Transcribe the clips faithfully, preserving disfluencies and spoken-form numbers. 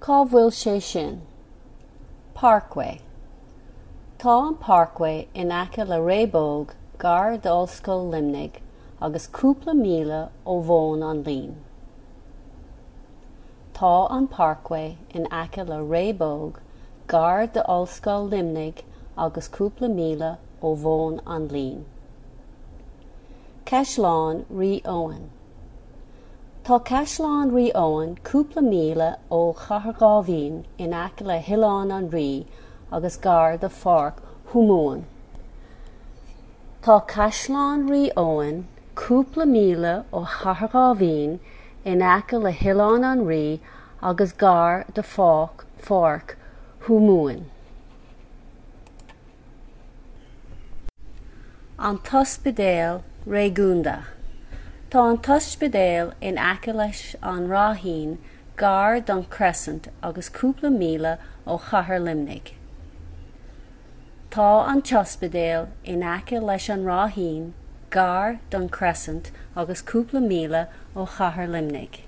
Cá bhfuil sé sin? Parkway. Tá an Parkway in aice le Réabóg gar d'Ollscoil Luimnigh agus cúpla míle ó Mhóin an Lín. Tá an Parkway in aice le Réabóg gar d'Ollscoil Luimnigh agus cúpla míle ó Mhóin an Lín. Caisleán Rí Eoin. Tá Caisleán Rí Eoin cúpla míle ó Chathair Dháibhín in aice le hOileán an Rí agus gar do Pháirc Thuamhumhan. Tá Caisleán Rí Eoin cúpla míle ó Chathair Dháibhín in aice le hOileán an Rí agus gar do Pháirc Pháirc Thuamhumhan. An tOspidéal Réigiúnda. Tá an t-ospidéal in aice leis an Ráithín gar don Crescent agus cúpla míle ó Chathair Luimnigh. Tá an t-ospidéal in aice leis an Ráithín gar don Crescent agus cúpla míle ó Chathair Luimnigh.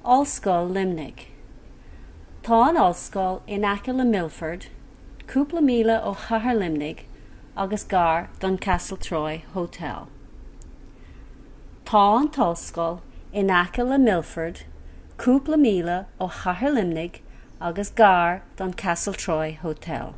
Ollscoil Luimnigh. Tá an ollscoil in aice le Milford, cúpla míle ó Chathair Luimnigh agus gar don Castletroy Hotel. Tá an t-ollscoil in aice le Milford, cúpla míle ó Chathair Luimnigh agus gar don Castletroy Hotel.